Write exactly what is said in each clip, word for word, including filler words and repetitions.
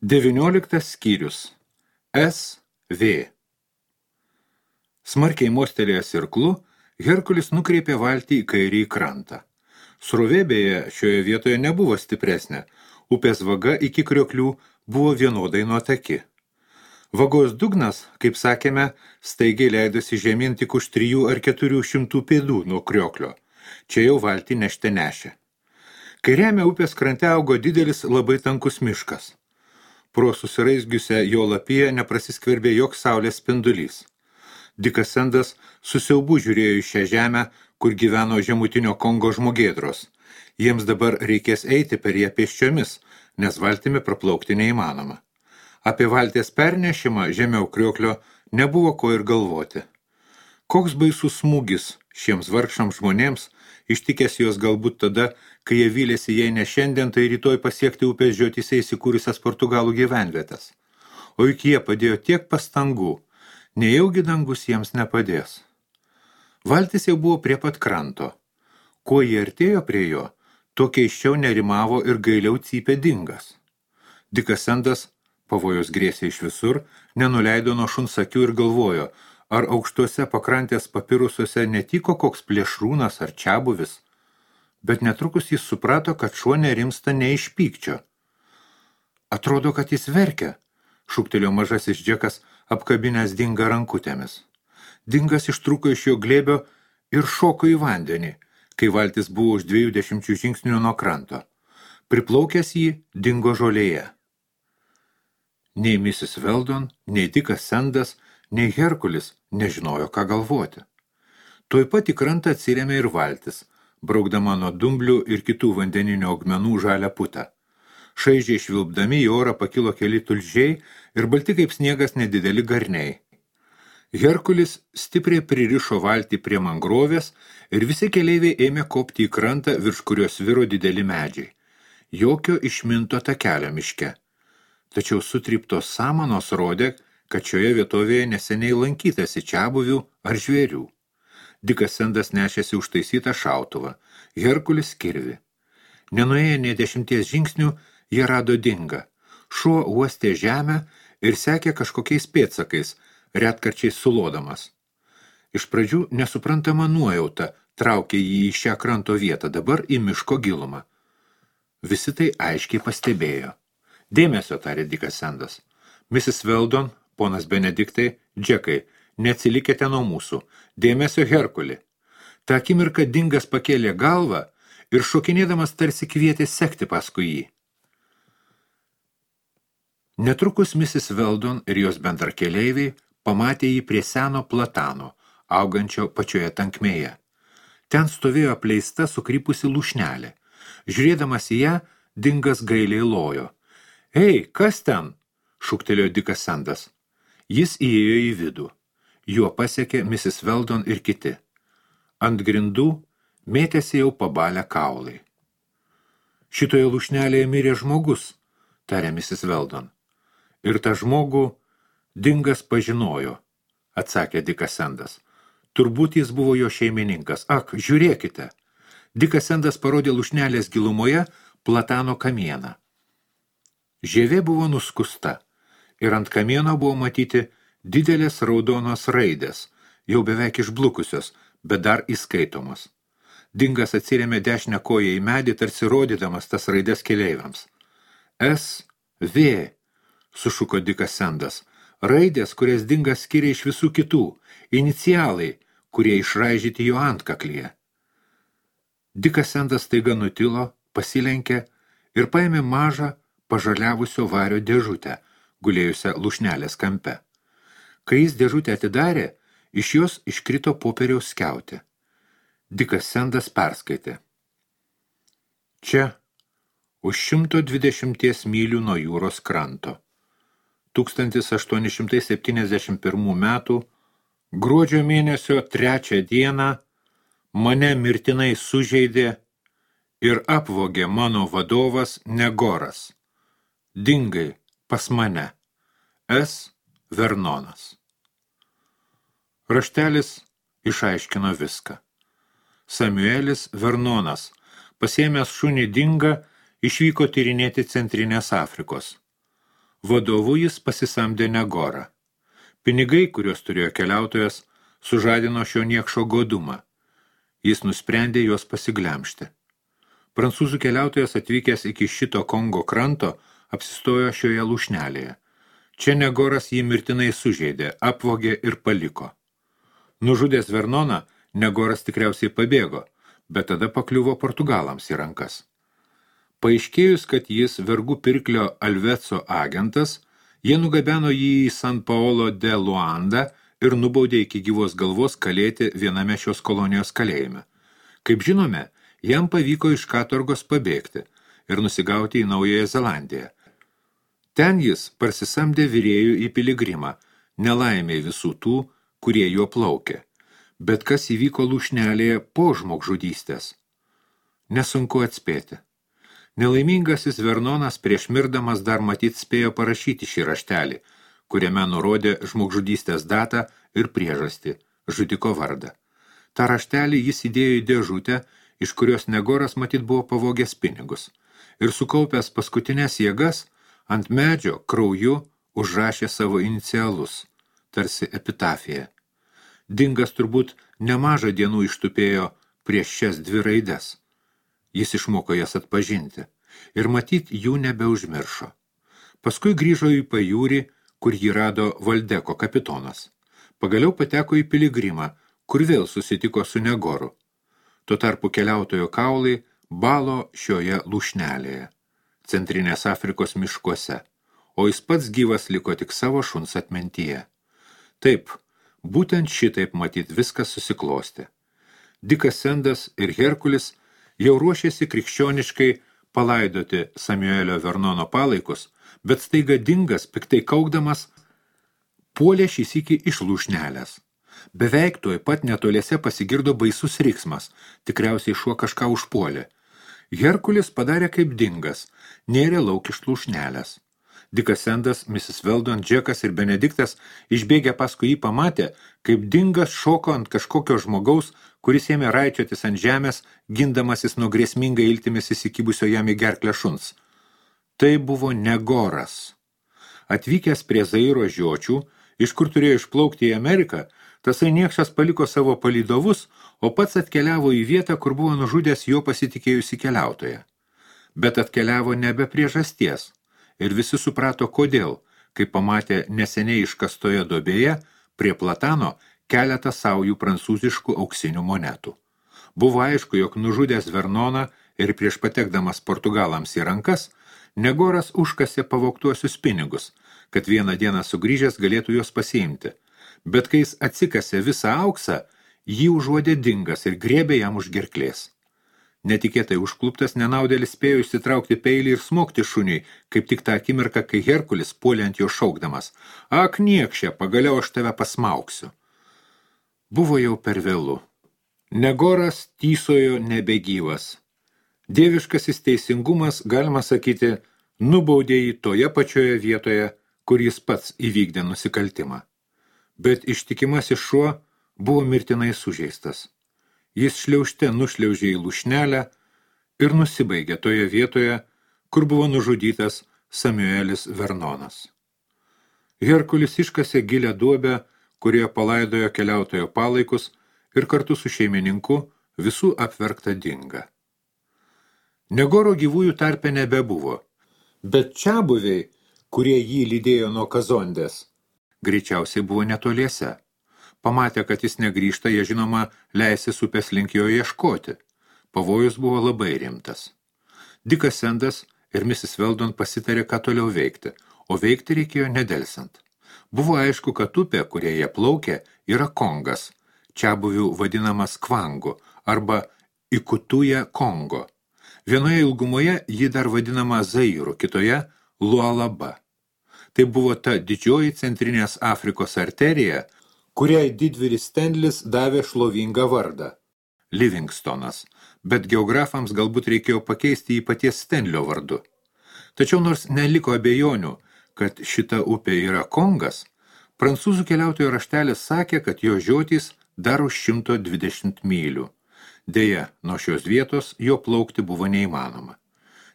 Devynioliktas skyrius. S V. Smarkiai mostelėjęs irklu, Herkulis nukreipė valtį į kairį krantą. Srovė beje šioje vietoje nebuvo stipresnė, upės vaga iki krioklių buvo vienodai nuotaki. Vagos dugnas, kaip sakėme, staigiai leidosi žemyn tik už trijų ar keturių šimtų pėdų nuo krioklio. Čia jau valtį nešte nešė. Kairiame upės krante augo didelis labai tankus miškas. Pro susiraizgiusią jo lapiją neprasiskverbė joks saulės spindulys. Dikas Sendas su siaubu žiūrėjo į šią žemę, kur gyveno žemutinio Kongo žmogėdros. Jiems dabar reikės eiti per ją pėsčiomis, nes valtimi praplaukti neįmanoma. Apie valties pernešimą žemiau krioklio nebuvo ko ir galvoti. Koks baisus smūgis šiems vargšams žmonėms, ištikęs juos galbūt tada, kai jie vylėsi jei ne šiandien, tai rytoj pasiekti upės žiotyse įsikūrusias Portugalų gyvenvietas. O juk jie padėjo tiek pastangų, nejaugi dangus jiems nepadės. Valtis jau buvo prie pat kranto. Kuo jie artėjo prie jo, tuo keisčiau nerimavo ir gailiau cypė dingas. Dikas Sendas, pavojus grėsė iš visur, nenuleido nuo šuns akių ir galvojo, ar aukštuose pakrantės papirusuose netyko koks plėšrūnas ar čiabuvis. Bet netrukus jis suprato, kad šuo nerimsta ne iš pykčio. Atrodo, kad jis verkia, šūktelėjo mažasis Džekas, apkabinęs Dingą rankutėmis. Dingas ištrūko iš jo glėbio ir šoko į vandenį, kai valtis buvo už dviejų dešimčių žingsnių nuo kranto. Priplaukęs jį dingo žolėje. Nei misis Weldon, nei Dikas Sendas, nei Herkulis nežinojo, ką galvoti. Tuoj pat į krantą atsirėmė ir valtis, braukdama nuo dumblių ir kitų vandeninio augmenų žalią putą. Šaižiai švilpdami į orą pakilo keli tulžiai ir balti kaip sniegas nedideli garniai. Herkulis stipriai pririšo valtį prie mangrovės ir visi keleiviai ėmė kopti į krantą, virš kurios viro dideli medžiai. Jokio išminto takelio miške. Tačiau sutryptos samanos rodė, kad šioje vietovėje neseniai lankytasi čiabuvių ar žvėrių. Dikas Sendas nešėsi užtaisytą šautuvą, Herkulis kirvį. Nenuėję nė dešimties žingsnių, jie rado Dingą. Šuo uostė žemę ir sekė kažkokiais pėdsakais, retkarčiais sulodamas. Iš pradžių nesuprantama nuojauta traukė jį į šią kranto vietą, dabar į miško gilumą. Visi tai aiškiai pastebėjo. Dėmesio, tarė Dikas Sendas. misis Weldon, ponas Benediktai, Džekai, neatsilikite nuo mūsų. Dėmesio, Herkuli. Ta akimirka Dingas pakėlė galvą ir šokinėdamas tarsi kvietė sekti paskui jį. Netrukus misis Weldon ir jos bendrakeleiviai pamatė jį prie seno platano, augančio pačioje tankmėje. Ten stovėjo apleista sukrypusi lūšnelė. Žiūrėdamas į ją, Dingas gailiai lojo. Ei, kas ten? Šūktelėjo Dikas Sendas. Jis įėjo į vidų. Juo pasiekė misis Weldon ir kiti. Ant grindų mėtėsi jau pabalę kaulai. Šitoje lūšnelėje mirė žmogus, tarė misis Weldon. Ir tą žmogų Dingas pažinojo, atsakė Dikas Sendas. Turbūt jis buvo jo šeimininkas. Ak, žiūrėkite. Dikas Sendas parodė lūšnelės gilumoje platano kamieną. Žievė buvo nuskusta ir ant kamieno buvo matyti didelės raudonos raidės, jau beveik išblukusios, bet dar įskaitomos. Dingas atsirėmė dešinę koją į medį, tarsi rodydamas tas raidės keleiviams. S V, sušuko Dikas Sendas, raidės, kurias Dingas skiria iš visų kitų, inicialai, kurie išraižyti jo antkaklyje. Dikas Sendas staiga nutilo, pasilenkė ir paėmė mažą pažaliavusio vario dėžutę, gulėjusią lūšnelės kampe. Kai jis dėžutę atidarė, iš jos iškrito popieriaus skiautė. Dikas Sendas perskaitė. Čia, už šimto dvidešimties mylių nuo jūros kranto. tūkstantis aštuoni šimtai septyniasdešimt pirmų metų, gruodžio mėnesio trečią dieną, mane mirtinai sužeidė ir apvogė mano vadovas Negoras. Dingai pas mane. S. Vernonas. Raštelis išaiškino viską. Samuelis Vernonas, pasiėmęs šunį Dingą, išvyko tyrinėti Centrinės Afrikos. Vadovu jis pasisamdė Negorą. Pinigai, kuriuos turėjo keliautojas, sužadino šio niekšo godumą. Jis nusprendė juos pasiglemžti. Prancūzų keliautojas atvykęs iki šito Kongo kranto apsistojo šioje lūšnelėje. Čia Negoras jį mirtinai sužeidė, apvogė ir paliko. Nužudęs Vernoną, Negoras tikriausiai pabėgo, bet tada pakliuvo Portugalams į rankas. Paaiškėjus, kad jis vergų pirklio Alveco agentas, jie nugabeno jį į San Paolo de Luanda ir nubaudė iki gyvos galvos kalėti viename šios kolonijos kalėjime. Kaip žinome, jam pavyko iš katorgos pabėgti ir nusigauti į Naująją Zelandiją. Ten jis parsisamdė virėjų į piligrimą, nelaimė visų tų, kurie juo plaukė. Bet kas įvyko lūšnelėje po žmogžudystės? Nesunku atspėti. Nelaimingasis Vernonas prieš mirdamas dar matyt spėjo parašyti šį raštelį, kuriame nurodė žmogžudystės datą ir priežastį, žudiko vardą. Ta raštelį jis įdėjo į dėžutę, iš kurios Negoras matyt buvo pavogęs pinigus, ir sukaupęs paskutinės jėgas, ant medžio krauju užrašė savo inicialus, tarsi epitafija. Dingas turbūt nemažą dienų ištupėjo prieš šias dvi raides. Jis išmoko jas atpažinti ir matyt jų nebeužmiršo. Paskui grįžo į pajūrį, kur jį rado Valdeko kapitonas. Pagaliau pateko į piligrimą, kur vėl susitiko su Negoru. Tuo tarpu keliautojo kaulai balo šioje lūšnelėje, Centrinės Afrikos miškuose, o jis pats gyvas liko tik savo šuns atmintyje. Taip, būtent šitaip matyt viskas susiklostė. Dikas Sendas ir Herkulis jau ruošėsi krikščioniškai palaidoti Samuelio Vernono palaikus, bet staiga Dingas, piktai kaukdamas, puolė šį sykį iš lūšnelės. Beveik tuoj pat netoliese pasigirdo baisus riksmas, tikriausiai šuo kažką užpuolė. Herkulis padarė kaip Dingas, nėrė lauk iš lūšnelės. Dikas Sendas, misis Veldon, Džekas ir Benediktas išbėgę paskui jį pamatė, kaip Dingas šoko ant kažkokio žmogaus, kuris ėmė raičiotis ant žemės, gindamasis nuo grėsmingai iltimis įsikibusio jam į gerklę šuns. Tai buvo Negoras. Atvykęs prie Zairo žiočių, iš kur turėjo išplaukti į Ameriką, tasai niekšas paliko savo palydovus, o pats atkeliavo į vietą, kur buvo nužudęs jo pasitikėjusi keliautoją. Bet atkeliavo nebe priežasties. Ir visi suprato, kodėl, kai pamatė neseniai iškastoje duobėje prie Platano keletą saujų prancūziškų auksinių monetų. Buvo aišku, jog nužudęs Vernoną ir prieš patekdamas Portugalams į rankas, Negoras užkasė pavogtuosius pinigus, kad vieną dieną sugrįžęs galėtų juos pasiimti. Bet kai jis atsikasė visą auksą, jį užuodė Dingas ir griebė jam už gerklės. Netikėtai užkluptas nenaudėlis spėjo išsitraukti peilį ir smogti šuniui, kaip tik tą akimirką, kai Herkulis puolė ant jo šaukdamas. Ak, niekšė, pagaliau aš tave pasmauksiu. Buvo jau per vėlu. Negoras tysojo nebegyvas. Dieviškasis teisingumas, galima sakyti, nubaudė jį toje pačioje vietoje, kur jis pats įvykdė nusikaltimą. Bet ištikimasis šuo buvo mirtinai sužeistas. Jis šliaužte nušliaužė į lūšnelę ir nusibaigė toje vietoje, kur buvo nužudytas Samuelis Vernonas. Herkulis iškasė gilią duobę, kurioje palaidojo keliautojo palaikus ir kartu su šeimininku visų apverktą Dingą. Negoro gyvųjų tarpe nebebuvo, bet čiabuviai, kurie jį lydėjo nuo Kazondės, greičiausiai buvo netoliese. Pamatę, kad jis negrįžta, jie žinoma leisis upės link jo ieškoti. Pavojus buvo labai rimtas. Dikas Sendas ir misis Veldon pasitarė, ką toliau veikti, o veikti reikėjo nedelsant. Buvo aišku, kad upė, kurie jie plaukė, yra Kongas, čiabuvių vadinamas Kvangu arba Ikutuja Kongo. Vienoje ilgumoje ji dar vadinama Zairu, kitoje Lualaba. Tai buvo ta didžioji Centrinės Afrikos arterija, kuriai didvyris Stenlis davė šlovingą vardą – Livingstonas, bet geografams galbūt reikėjo pakeisti jį paties Stenlio vardu. Tačiau nors neliko abejonių, kad šita upė yra Kongas, prancūzų keliautojo raštelis sakė, kad jo žiotys dar už šimto dvidešimt mylių. Deja, nuo šios vietos jo plaukti buvo neįmanoma.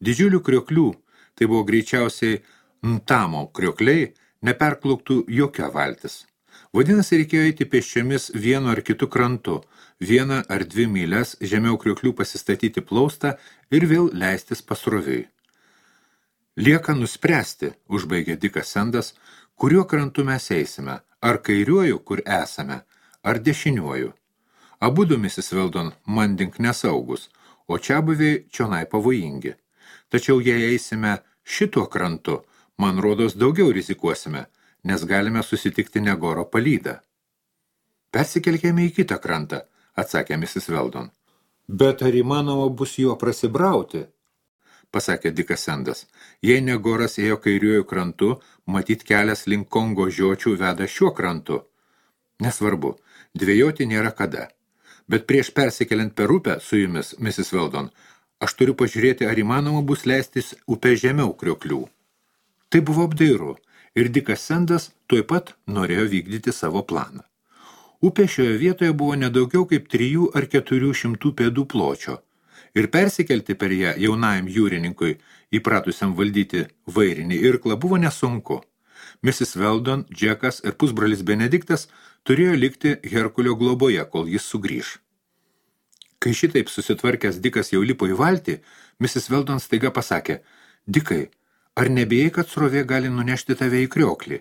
Didžiulių krioklių, tai buvo greičiausiai Ntamo kriokliai neperplauktų jokia valtis. Vadinasi, reikėjo eiti pėsčiomis vienu ar kitu krantu, vieną ar dvi myles žemiau krioklių pasistatyti plaustą ir vėl leistis pasroviui. Lieka nuspręsti, užbaigė Dikas Sendas, kuriuo krantu mes eisime, ar kairiuoju, kur esame, ar dešiniuoju. Abudu, misis Weldon, mandink nesaugus, o čiabuviai čionai pavojingi. Tačiau jei eisime šituo krantu, man rodos daugiau rizikuosime, nes galime susitikti Negoro palydą. Persikelkime į kitą krantą, atsakė misis Weldon. Bet ar įmanoma bus juo prasibrauti? Pasakė Dikas Sendas. Jei Negoras ėjo kairiuoju krantu, matyt kelias link Kongo žiočių veda šiuo krantu. Nesvarbu, dvejoti nėra kada. Bet prieš persikeliant per upę su jumis, misis Weldon, aš turiu pažiūrėti, ar įmanoma bus leistis upę žemiau krioklių. Tai buvo apdairu, ir Dikas Sendas tuoj pat norėjo vykdyti savo planą. Upė šioje vietoje buvo nedaugiau kaip trijų ar keturių šimtų pėdų pločio, ir persikelti per ją jaunajam jūrininkui, įpratusiam valdyti vairinį irklą, buvo nesunku. misis Weldon, Džekas ir pusbrolis Benediktas turėjo likti Herkulio globoje, kol jis sugrįž. Kai šitaip susitvarkęs Dikas jau lipo į valtį, misis Weldon staiga pasakė, Dikai, ar nebijai, kad srovė gali nunešti tave į krioklį?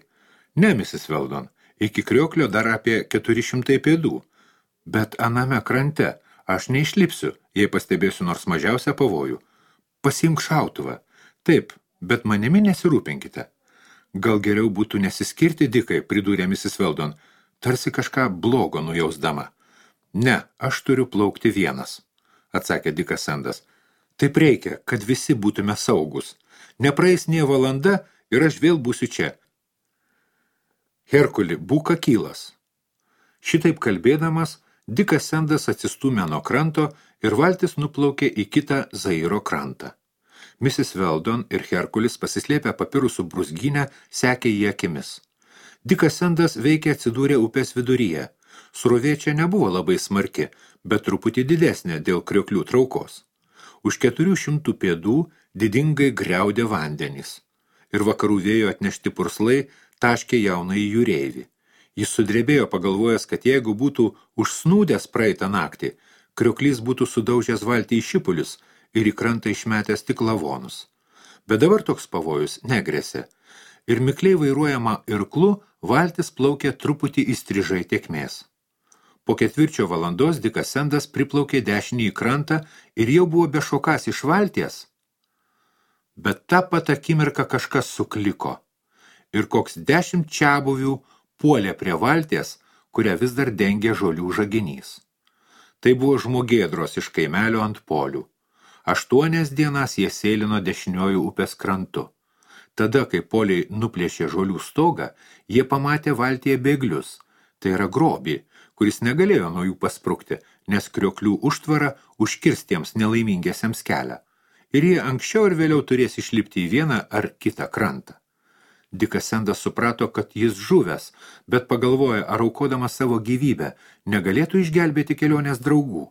Ne, misis Weldon, iki krioklio dar apie keturi šimtai pėdų, bet aname krante aš neišlipsiu, jei pastebėsiu nors mažiausią pavojų. Pasiimk šautuvą. Taip, bet manimi nesirūpinkite. Gal geriau būtų nesiskirti, Dikai, pridūrė misis Weldon, tarsi kažką blogo nujausdama. Ne, aš turiu plaukti vienas, atsakė Dikas Sendas. Taip reikia, kad visi būtume saugus. Nepraeis nė valanda ir aš vėl būsiu čia. Herkuli, būk akylas. Šitaip kalbėdamas, Dikas Sendas atsistūmė nuo kranto ir valtis nuplaukė į kitą Zairo krantą. misis Weldon ir Herkulis pasislėpę papirusų brūzgynę sekė į akimis. Dikas Sendas veikia atsidūrė upės viduryje. Srovė čia nebuvo labai smarki, bet truputį didesnė dėl krioklių traukos. Už keturių šimtų pėdų didingai griaudė vandenys. Ir vakarų vėjo atnešti purslai taškė jaunąjį jūreivį. Jis sudrebėjo pagalvojęs, kad jeigu būtų užsnūdęs praeitą naktį, krioklys būtų sudaužęs valtį į šipulius ir į krantą išmetęs tik lavonus. Bet dabar toks pavojus negrėsė. Ir mikliai vairuojama irklu valtis plaukė truputį įstrižai tėkmės. Po ketvirčio valandos Dikas Sendas priplaukė dešinį į krantą ir jau buvo bešokas iš valties. Bet tą pat akimirką kažkas sukliko ir koks dešimt čiabuvių puolė prie valties, kurią vis dar dengė žolių žaginys. Tai buvo žmogėdros iš kaimelio ant polių. Aštuonias dienas jie sėlino dešiniuoju upės krantu. Tada, kai poliai nuplėšė žolių stogą, jie pamatė valtyje bėglius, tai yra grobį, kuris negalėjo nuo jų pasprukti, nes krioklių užtvara užkirstiems nelaimingiesiems kelią. Ir jie anksčiau ir vėliau turės išlipti į vieną ar kitą krantą. Dikas Sendas suprato, kad jis žuvęs, bet pagalvoja, ar aukodamas savo gyvybę negalėtų išgelbėti kelionės draugų.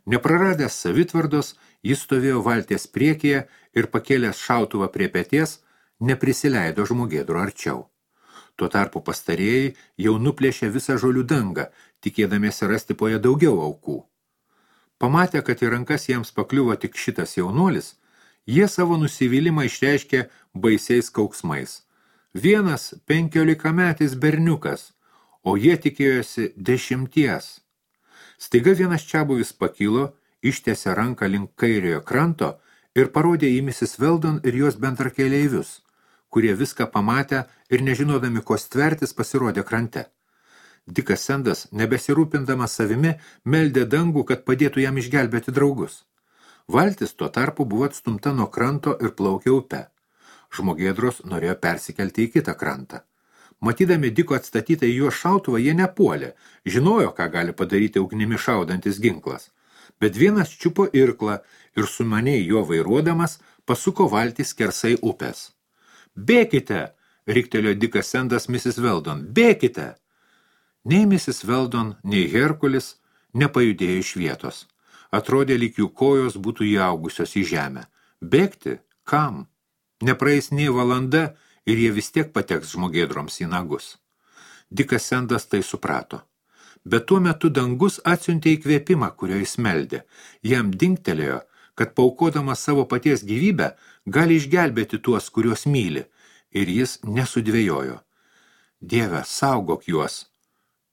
Nepraradęs savitvardos, jis stovėjo valties priekyje ir pakėlęs šautuvą prie peties, neprisileido žmogėdro arčiau. Tuo tarpu pastarėjai jau nuplėšė visą žolių dangą, tikėdamiesi rasti po ją daugiau aukų. Pamatę, kad į rankas jiems pakliuvo tik šitas jaunuolis, jie savo nusivylimą išreiškė baisiais kauksmais. Vienas penkiolikametis berniukas, o jie tikėjosi dešimties. Staiga vienas čiabuvis pakilo, ištiesė ranką link kairiojo kranto ir parodė į misis Weldon ir jos bendrakeleivius, kurie viską pamatę ir nežinodami, ko stvertis, pasirodė krante. Dikas Sendas, nebesirūpindamas savimi, meldė dangų, kad padėtų jam išgelbėti draugus. Valtis tuo tarpu buvo atstumta nuo kranto ir plaukė upe. Žmogėdros norėjo persikelti į kitą krantą. Matydami Diko atstatytą į juos šautuvą, jie nepuolė, žinojo, ką gali padaryti ugnimi šaudantis ginklas. Bet vienas čiupo irklą ir sumaniai jo vairuodamas pasuko valtį skersai upės. Bėkite, riktelėjo Dikas Sendas misis Weldon, bėkite! Nei misis Weldon, nei Herkulis nepajudėjo iš vietos. Atrodė, lyg jų kojos būtų įaugusios į žemę. Bėgti? Kam? Nepraeis nei valanda ir jie vis tiek pateks žmogėdroms į nagus. Dikas Sendas tai suprato. Bet tuo metu dangus atsiuntė įkvėpimą, kurio jis meldė. Jam dingtelėjo, kad paukodamas savo paties gyvybę gali išgelbėti tuos, kuriuos myli, ir jis nesudvėjojo. Dieve, saugok juos,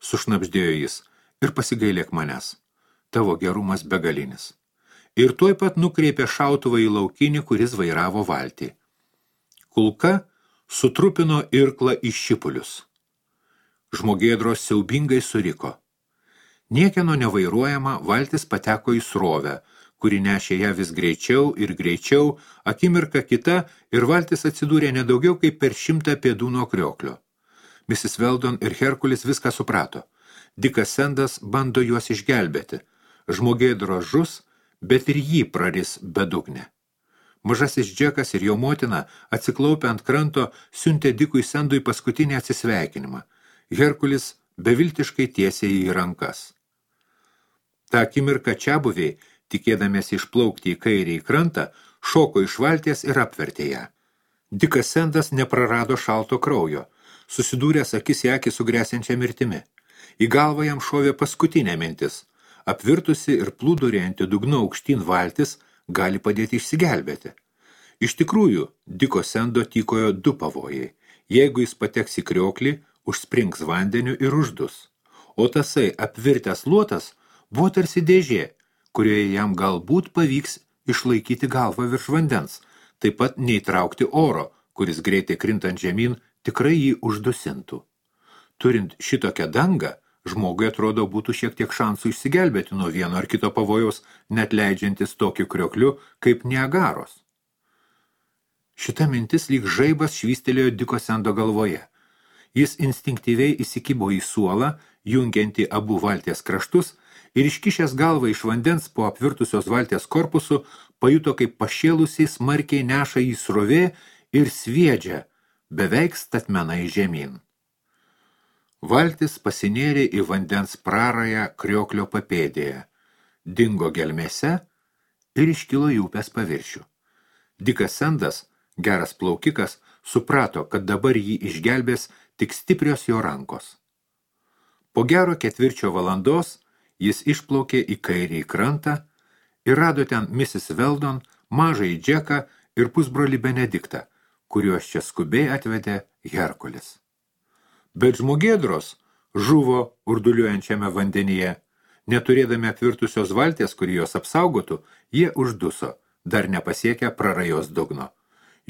sušnabždėjo jis, ir pasigailėk manęs. Tavo gerumas begalinis. Ir tuoj pat nukreipė šautuvą į laukinį, kuris vairavo valtį. Kulka sutrupino irklą į šipulius. Žmogėdros siaubingai suriko. Niekieno nevairuojama valtis pateko į srovę, kuri nešė ją vis greičiau ir greičiau, akimirka kita ir valtis atsidūrė nedaugiau kaip per šimtą pėdų nuo krioklio. misis Weldon ir Herkulis viską suprato. Dikas Sendas bando juos išgelbėti. Žmogėdros žus, bet ir jį praris bedugnė. Mažasis Džekas ir jo motina, atsiklaupę ant kranto, siuntė Dikui Sendui paskutinį atsisveikinimą. Herkulis beviltiškai tiesė jį į rankas. Ta akimirka čiabuviai, tikėdamiesi išplaukti į kairį į krantą, šoko iš valties ir apvertė ją. Dikas Sendas neprarado šalto kraujo, susidūręs akis į akį su gresiančia mirtimi. Į galvą jam šovė paskutinė mintis. Apvirtusi ir plūdurianti dugnu aukštyn valtis gali padėti išsigelbėti. Iš tikrųjų, Diko Sendo tykojo du pavojai. Jeigu jis pateks į krioklį, užsprings vandeniu ir uždus. O tasai apvirtęs luotas buvo tarsi dėžė, kurioje jam galbūt pavyks išlaikyti galvą virš vandens, taip pat neįtraukti oro, kuris greitai krintant žemyn tikrai jį uždusintų. Turint šitokią dangą, žmogui atrodo būtų šiek tiek šansų išsigelbėti nuo vieno ar kito pavojaus, net leidžiantis tokiu kriokliu kaip Niagaros. Šita mintis lyg žaibas švystelėjo Diko Sendo galvoje. Jis instinktyviai įsikibo į suolą, jungiantį abu valties kraštus, ir iškišęs galvą iš vandens po apvirtusios valties korpusu, pajuto, kaip pašėlusiai smarkiai neša į srovė ir sviedžia, beveik statmenai žemyn. Valtis pasinėrė į vandens prarają krioklio papėdėje, dingo gelmėse ir iškilo į upės paviršių. Dikas Sendas, geras plaukikas, suprato, kad dabar jį išgelbės tik stiprios jo rankos. Po gero ketvirčio valandos jis išplaukė į kairį krantą ir rado ten misis Weldon, mažąjį Džeką ir pusbrolį Benediktą, kuriuos čia skubiai atvedė Herkulis. Bet žmogėdros žuvo urduliuojančiame vandenyje. Neturėdami apvirtusios valties, kuri juos apsaugotų, jie užduso, dar nepasiekę prarajos dugno.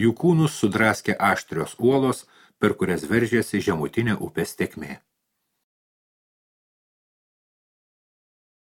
Jų kūnus sudraskė aštrios uolos, per kurias veržėsi žemutinė upės tekmė.